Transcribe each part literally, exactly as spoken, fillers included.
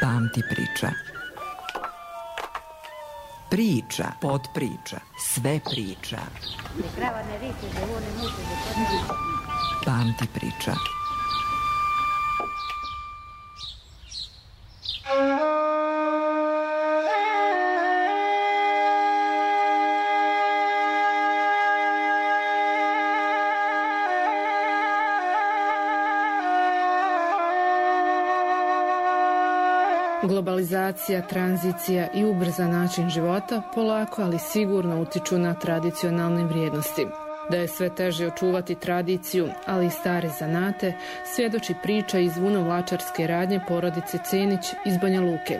Pamti priča. Priča, podpriča, sve priča. Pamti priča. Globalizacija, tranzicija i ubrzan način života polako, ali sigurno utiču na tradicionalne vrijednosti. Da je sve teže očuvati tradiciju, ali i stare zanate, svjedoči priča iz vunovlačarske radnje porodice Cenić iz Banja Luke.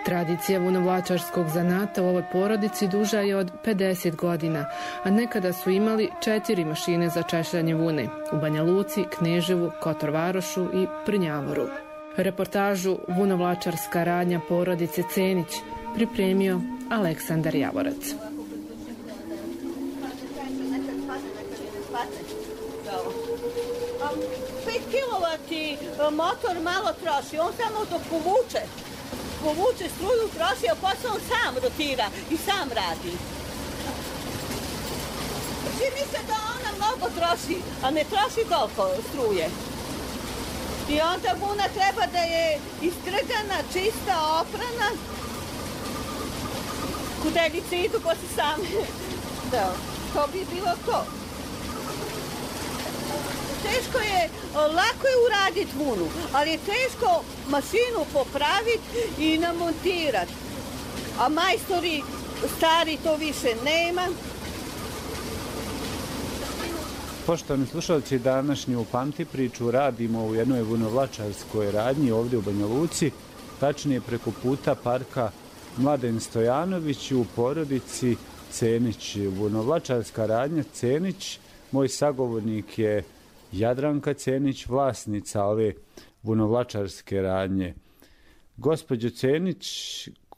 Tradicija vunovlačarskog zanata u ovoj porodici duža je od pedeset godina, a nekada su imali četiri mašine za češljanje vune u Banja Luci, Kneževu, Kotorvarošu i Prnjavoru. Reportažu Vunovlačarska radnja porodice Cenić pripremio Aleksandar Javorac. pet kilovati motor malo troši, on samo dok povuče, povuče struju troši, a posle on sam rotira i sam radi. Čini se da ona mnogo troši, a ne troši toliko struje. I onda vuna treba da je istrgana, čista, oprana. Kudeljice idu ko se same. Da, to bi bilo to. Teško je, lako je uraditi vunu, ali je teško mašinu popraviti i namontirati. A majstori stari to više nema. Poštovani slušalci, današnju Pamti priču radimo u jednoj vunovlačarskoj radnji ovdje u Banja Luci, tačnije preko puta parka Mladen Stojanović u porodici Cenić. Vunovlačarska radnja Cenić, moj sagovornik je Jadranka Cenić, vlasnica ove vunovlačarske radnje. Gospođo Cenić,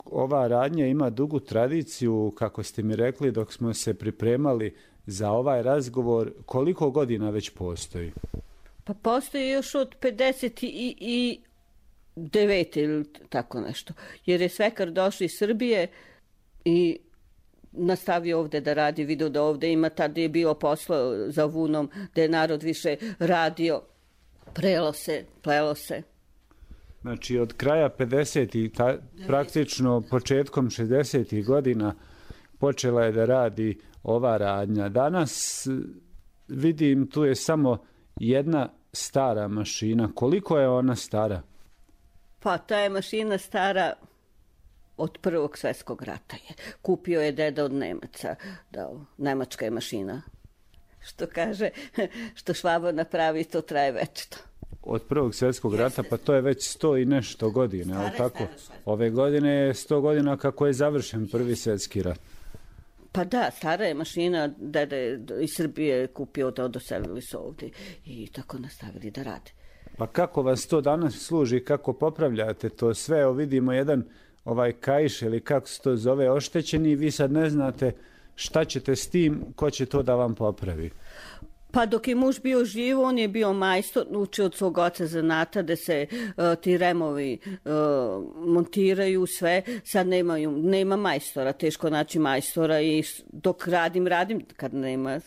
ova radnja ima dugu tradiciju, kako ste mi rekli dok smo se pripremali za ovaj razgovor. Koliko godina već postoji? Pa postoji još od pedeset devet ili tako nešto. Jer je svekar došao iz Srbije i nastavio ovde da radi, vidio da ovde ima, tada je bilo posla za vunom, da je narod više radio, prelo se, plelo se. Znači od kraja pedesetih, praktično početkom šezdesetih godina počela je da radi ova radnja. Danas vidim tu je samo jedna stara mašina. Koliko je ona stara? Pa ta je mašina stara od Prvog svjetskog rata je. Kupio je deda od Nemaca. Da, nemačka je mašina. Što kaže, što Švabo napravi, to traje večito. Od Prvog svjetskog rata, pa to je već sto i nešto godine, ali tako? Ove godine je sto godina kako je završen Prvi svjetski rat. Pa da, stara je mašina, deda je iz Srbije kupio, da doselili su ovdje i tako nastavili da rade. Pa kako vas to danas služi, kako popravljate to sve? Evo vidimo jedan ovaj kaiš ili kako se to zove oštećeni i vi sad ne znate šta ćete s tim, ko će to da vam popravi. Pa dok je muž bio živ, on je bio majstor, učio od svog oca zanata da se uh, ti removi uh, montiraju sve. Sad nemaju, nema majstora, teško naći majstora i dok radim, radim, kad nema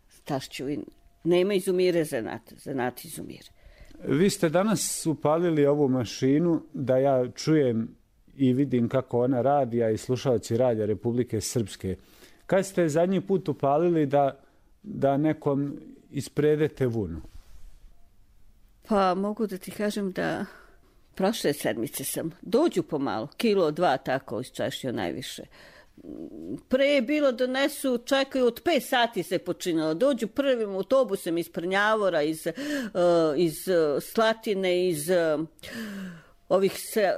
stašću i nema, izumire zanat, zanat izumire. Vi ste danas upalili ovu mašinu da ja čujem i vidim kako ona radi, a i slušalci radija Republike Srpske. Kad ste zadnji put upalili da da nekom ispredete vunu? Pa mogu da ti kažem da prošle sedmice sam. Dođu pomalo, kilo, dva tako isčešio najviše. Pre je bilo donesu, čekaju od pet sati se počinjalo. Dođu prvim autobusem iz Prnjavora, iz, uh, iz uh, Slatine, iz uh, ovih se,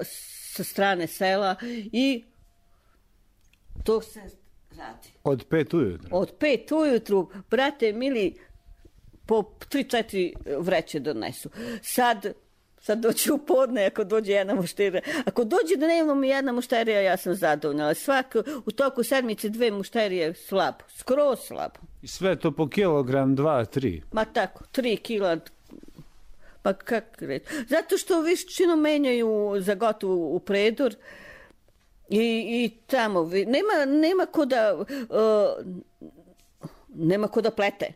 sa strane sela i to se radi. Od pet ujutru? Od pet ujutru, brate mili, po tri četiri vreće donesu. Sad, sad dođe u podne, ako dođe jedna mušterija. Ako dođe da nemamo mi jedna mušterija, ja sam zadovoljna. Ali svako, u toku sedmice dve mušterije slabo, skroz slabo. I sve to po kilogram, dva, tri? Ma tako, tri kila Pa kako reći? Zato što višćinu menjaju za gotovu u predor i, i tamo. Nema, nema ko da, uh, nema ko da plete.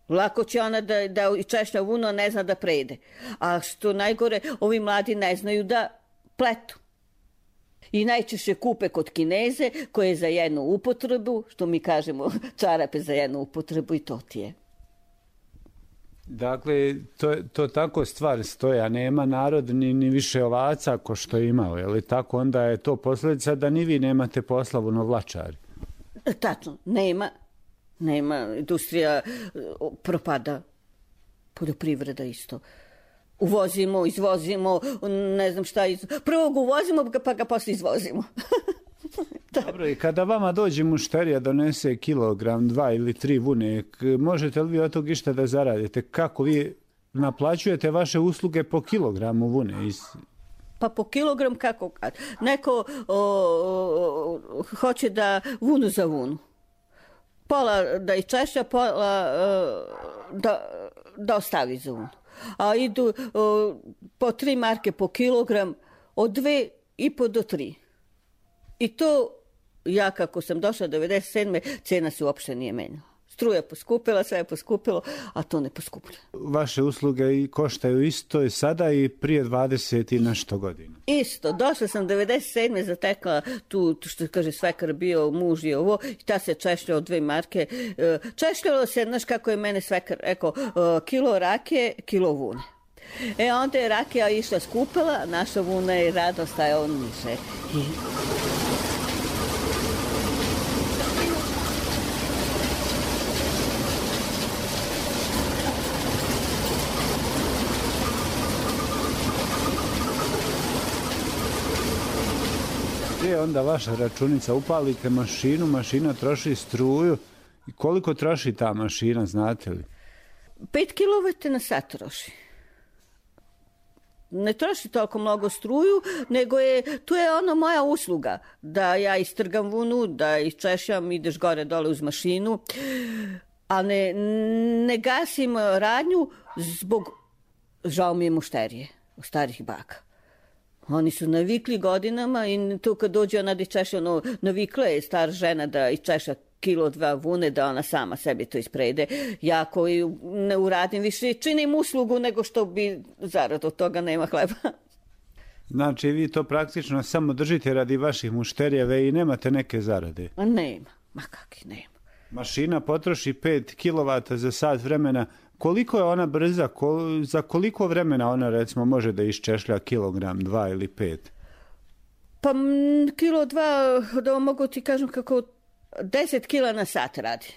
Lako će ona da, da češlja vunu, a ne zna da prede. A što najgore, ovi mladi ne znaju da pletu. I najčešće kupe kod Kineze koje je za jednu upotrebu, što mi kažemo čarape za jednu upotrebu i to ti je. Dakle, to, to tako stvar stoja, nema narod ni, ni više ovaca ko što je imao, je li tako? Onda je to posljedica da ni vi nemate poslavu na vlačari. Tačno, nema, nema, industrija propada, poljoprivreda isto. Uvozimo, izvozimo, ne znam šta, iz... prvo ga uvozimo pa ga posle izvozimo. Dobro, i kada vama dođe mušterija donese kilogram, dva ili tri vune, možete li vi od tog išta da zaradite? Kako vi naplaćujete vaše usluge po kilogramu vune? Iz... Pa po kilogram kako kad? Neko o, o, hoće da vunu za vunu. Pola da iščešlja, pola o, da, da ostavi za vunu. A idu o, po tri marke po kilogram, od dve i po do tri. I to, ja kako sam došla devedeset sedme cena se uopšte nije menjala. Struja poskupila, sve je poskupilo, a to ne poskupilo. Vaše usluge koštaju isto i sada i prije dvadeset i nešto godina? Isto. Došla sam devedeset sedme zatekla tu, što kaže svekar bio, muž i ovo, i ta se češljala od dve marke. Češljalo se, znaš kako je mene svekar rekao, kilo rakije, kilo vune. E onda je rakija išla skupila, naša vuna je rado stajala niže. I... Gdje je onda vaša računica? Upalite mašinu, mašina troši struju. I koliko troši ta mašina, znate li? Pet kilovata na sat troši. Ne troši toliko mnogo struju, nego je, tu je ono moja usluga, da ja istrgam vunu, da iščešljam, ideš gore dole uz mašinu, a ne, ne gasim radnju zbog, žao mi je mušterije, starih baka. Oni su navikli godinama i tu kad dođe ona da iščešlja, ono, navikla je star žena da iščešlja kilo dva vune, da ona sama sebi to isprede. Ja koji ne uradim više, činim uslugu nego što bi zarad od toga nema hleba. Znači vi to praktično samo držite radi vaših mušterijeve i nemate neke zarade? Nema, ma kakvi nema. Mašina potroši pet kilovata za sat vremena. Koliko je ona brza? Kol, za koliko vremena ona recimo može da iščešlja kilogram, dva ili pet? Pa m, kilo dva, da mogu ti kažem kako deset kila na sat radi.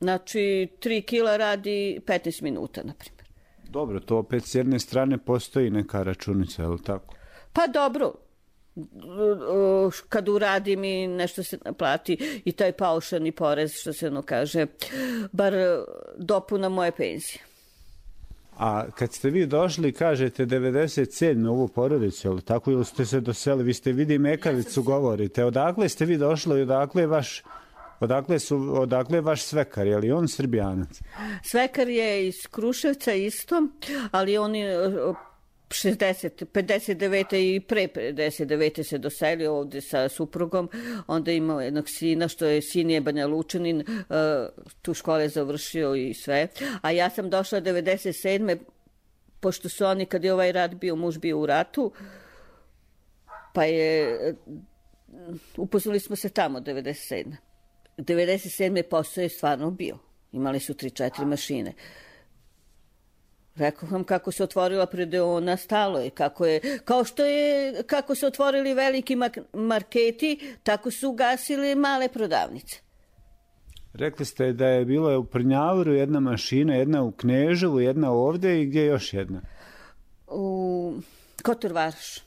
Znači tri kila radi petnaest minuta, na primjer. Dobro, to opet s jedne strane postoji neka računica, je li tako? Pa dobro. Kad uradim i nešto se naplati i taj paušalni porez, što se ono kaže, bar dopuna moje penzije. A kad ste vi došli, kažete devedeset sedme u ovu porodicu, ili tako, ili ste se doseli, vi ste vidi mekavicu govorite, odakle ste vi došli i odakle je vaš, odakle su, odakle je vaš svekar, je li on Srbijanac? Svekar je iz Kruševca isto, ali on je šezdeset, pedeset devete i pre pedeset devete se doselio ovde sa suprugom, onda imao jednog sina, što je sin je Banja Lučanin, tu škole završio i sve, a ja sam došla devedeset sedme pošto su oni, kad je ovaj rat bio, muž bio u ratu, pa je, upoznali smo se tamo devedeset sedme devedeset sedme posao je stvarno bio, imali su tri četiri mašine. Rekao vam kako se otvorila predeona, stalo je, kako je, kao što je, kako su otvorili veliki marketi, tako su ugasili male prodavnice. Rekli ste da je bilo u Prnjavoru jedna mašina, jedna u Kneževu, jedna ovde i gdje još jedna? U Kotor Varoš,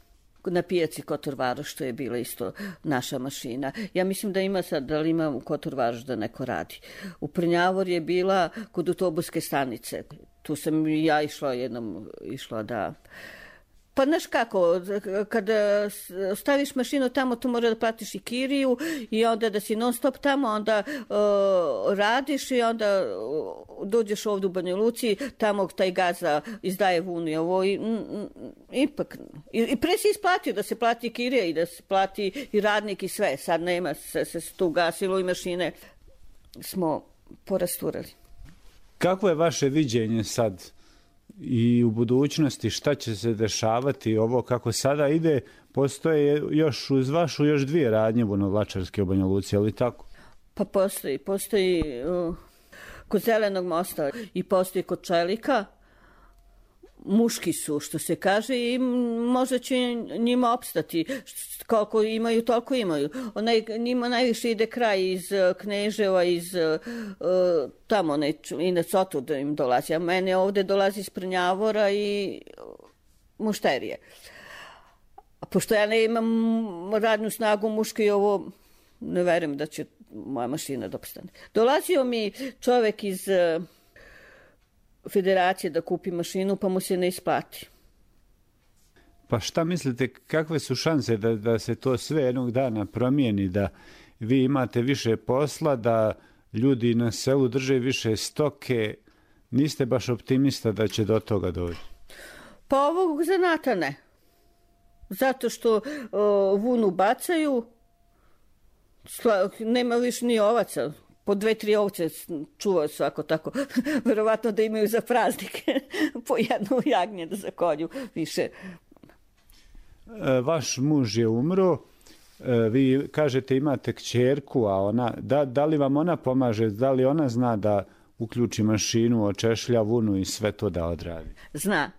na pijaci Kotor Varoš, što je bila isto naša mašina. Ja mislim da ima sad, da li ima u Kotor Varoš da neko radi. U Prnjavor je bila kod autobuske stanice. Tu sam ja išla jednom, išla da Pa znaš kako, kada staviš mašinu tamo, tu mora da platiš i kiriju i onda da si non stop tamo, onda uh, radiš i onda uh, dođeš ovdje u Banja Luci, tamo taj gazda izdaje vunu i ovo i m, ipak. I, i pre si isplatio da se plati kirija i da se plati i radnik i sve. Sad nema, se, se tu gasilo i mašine smo porasturali. Kako je vaše viđenje sad i u budućnosti, šta će se dešavati, ovo kako sada ide, postoje još uz vašu još dvije radnje vunovlačarske u Banja Luci, ali tako? Pa postoji, postoji uh, kod Zelenog mosta i postoji kod Čelika, muški su, što se kaže, i možda će njima opstati. Koliko imaju, toliko imaju. Onaj, njima najviše ide kraj iz Kneževa, iz uh, tamo, ne, i na Cotu da im dolazi. A mene ovde dolazi iz Prnjavora i mušterije. A pošto ja ne imam radnu snagu muške i ovo, ne verujem da će moja mašina da opstane. Dolazio mi čovek iz uh, federacije da kupi mašinu, pa mu se ne isplati. Pa šta mislite, kakve su šanse da, da se to sve jednog dana promijeni, da vi imate više posla, da ljudi na selu drže više stoke? Niste baš optimista da će do toga doći? Pa ovog zanata ne. Zato što o, vunu bacaju, sla, nema više ni ovaca. Po dve, tri ovce čuvaju svako tako. Verovatno da imaju za praznike po jednu jagnje da zakolju više. Vaš muž je umro, vi kažete imate kćerku, a ona, da, da li vam ona pomaže, da li ona zna da uključi mašinu, očešlja vunu i sve to da odradi? Zna.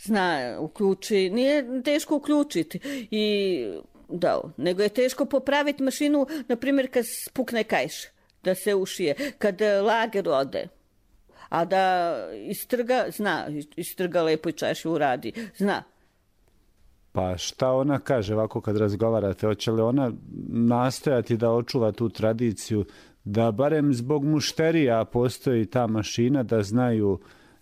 Zna, uključi, nije teško uključiti i da, nego je teško popraviti mašinu, na primjer kad spukne kajš, da se ušije, kad lager ode, a da istrga, zna, istrga lepo i češu uradi, zna. Pa šta ona kaže ovako kad razgovarate? Hoće li ona nastojati da očuva tu tradiciju, da barem zbog mušterija postoji ta mašina, da znaju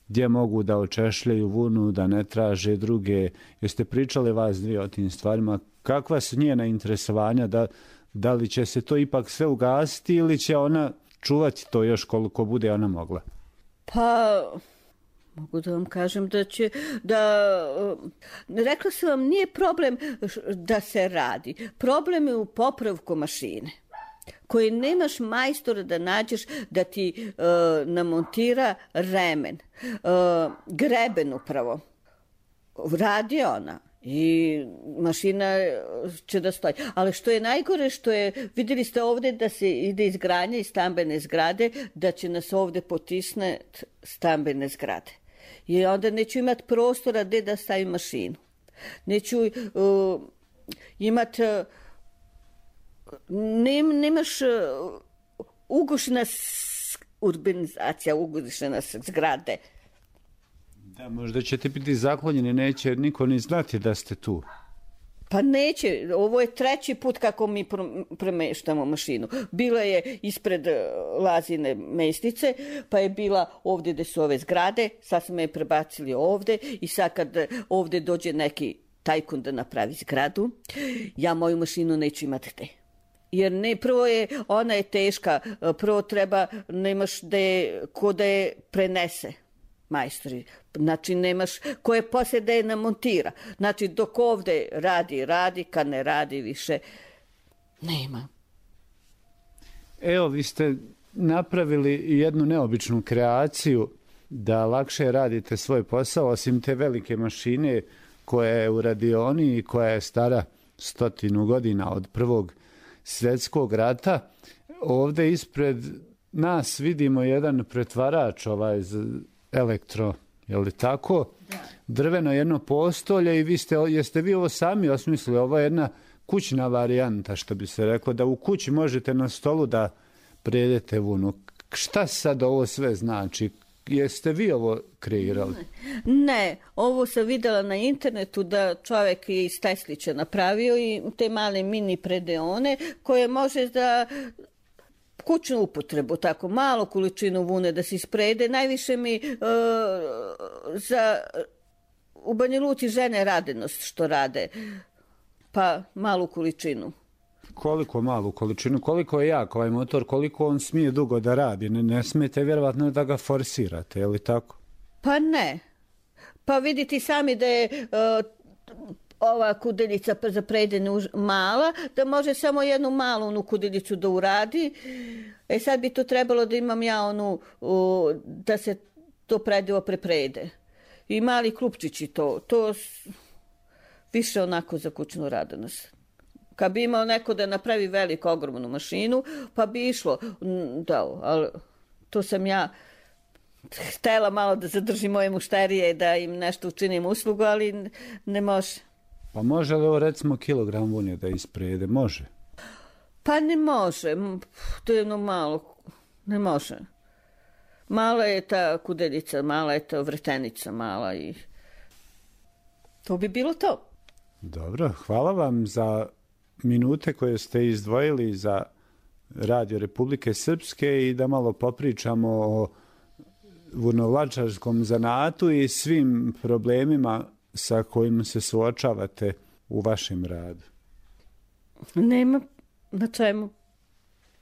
gdje mogu da očešljaju vunu, da ne traže druge? Jeste pričali vas dvije o tim stvarima? Kakva su njena interesovanja? Da, da li će se to ipak sve ugasiti ili će ona čuvati to još koliko bude ona mogla? Pa... Mogu da vam kažem da će, da, rekla sam vam, nije problem da se radi. Problem je u popravku mašine, koji nemaš majstora da nađeš da ti uh, namontira remen, uh, greben upravo. Radi ona i mašina će da stoji. Ali što je najgore, što je, vidjeli ste ovdje da se ide izgradnja iz stambene zgrade, da će nas ovdje potisne stambene zgrade. I onda neću imati prostora gdje da stavim mašinu. Neću uh, imati... Uh, nem, nemaš uh, ugušena urbanizacija, ugušena zgrade. Da, možda ćete biti zaklonjeni, neće niko ni znati da ste tu. Pa neće, ovo je treći put kako mi premeštamo mašinu. Bila je ispred Lazine mestice, pa je bila ovdje gdje su ove zgrade, sad smo je prebacili ovdje i sad kad ovdje dođe neki tajkun da napravi zgradu, ja moju mašinu neću imati gde. Jer ne, prvo je, ona je teška, prvo treba, nemaš gde, ko da je prenese. Majstori, znači nemaš koje poslije da je namontira. Znači dok ovdje radi, radi, kad ne radi više, nema. Evo, vi ste napravili jednu neobičnu kreaciju da lakše radite svoj posao, osim te velike mašine koja je u radioni i koja je stara stotinu godina od Prvog svjetskog rata. Ovdje ispred nas vidimo jedan pretvarač ovaj elektro, je li tako? Da. Drveno jedno postolje i vi ste, jeste vi ovo sami osmislili, ovo je jedna kućna varijanta, što bi se reklo, da u kući možete na stolu da predete vunu. Šta sad ovo sve znači? Jeste vi ovo kreirali? Ne, ovo sam vidjela na internetu da čovjek je iz Teslića napravio i te male mini predeone koje može da kućnu upotrebu, tako malu količinu vune da se isprede. Najviše mi uh, za u Banja Luci žene radenost što rade, pa malu količinu. Koliko malu količinu, koliko je jak ovaj motor, koliko on smije dugo da radi, ne, ne smijete vjerovatno da ga forsirate, je li tako? Pa ne. Pa vidite sami da je uh, ova kudeljica za predenu mala, da može samo jednu malu onu kudeljicu da uradi. E sad bi to trebalo da imam ja onu, uh, da se to predivo preprede. I mali klupčići to, to više onako za kućnu radonost. Kad bi imao neko da napravi veliku, ogromnu mašinu, pa bi išlo, da, ali to sam ja htjela malo da zadržim moje mušterije, da im nešto učinim uslugu, ali ne može. Pa može li ovo recimo kilogram vune da isprede? Može? Pa ne može, to je jedno malo, ne može. Mala je ta kudeljica, mala je ta vretenica, mala i to bi bilo to. Dobro, hvala vam za minute koje ste izdvojili za Radio Republike Srpske i da malo popričamo o vunovlačarskom zanatu i svim problemima sa kojim se suočavate u vašem radu. Nema na čemu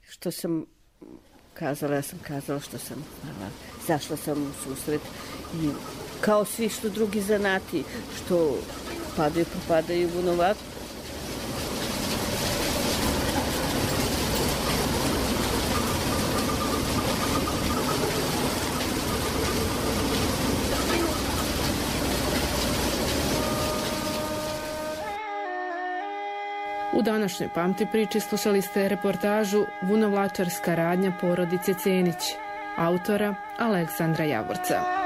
što sam kazala, ja sam kazala što sam znala. Zašla sam u susret i kao svi što drugi zanati što padaju, propadaju vunovac. U današnjoj Pamti priči slušali ste reportažu Vunovlačarska radnja porodice Cenić, autora Aleksandra Javorca.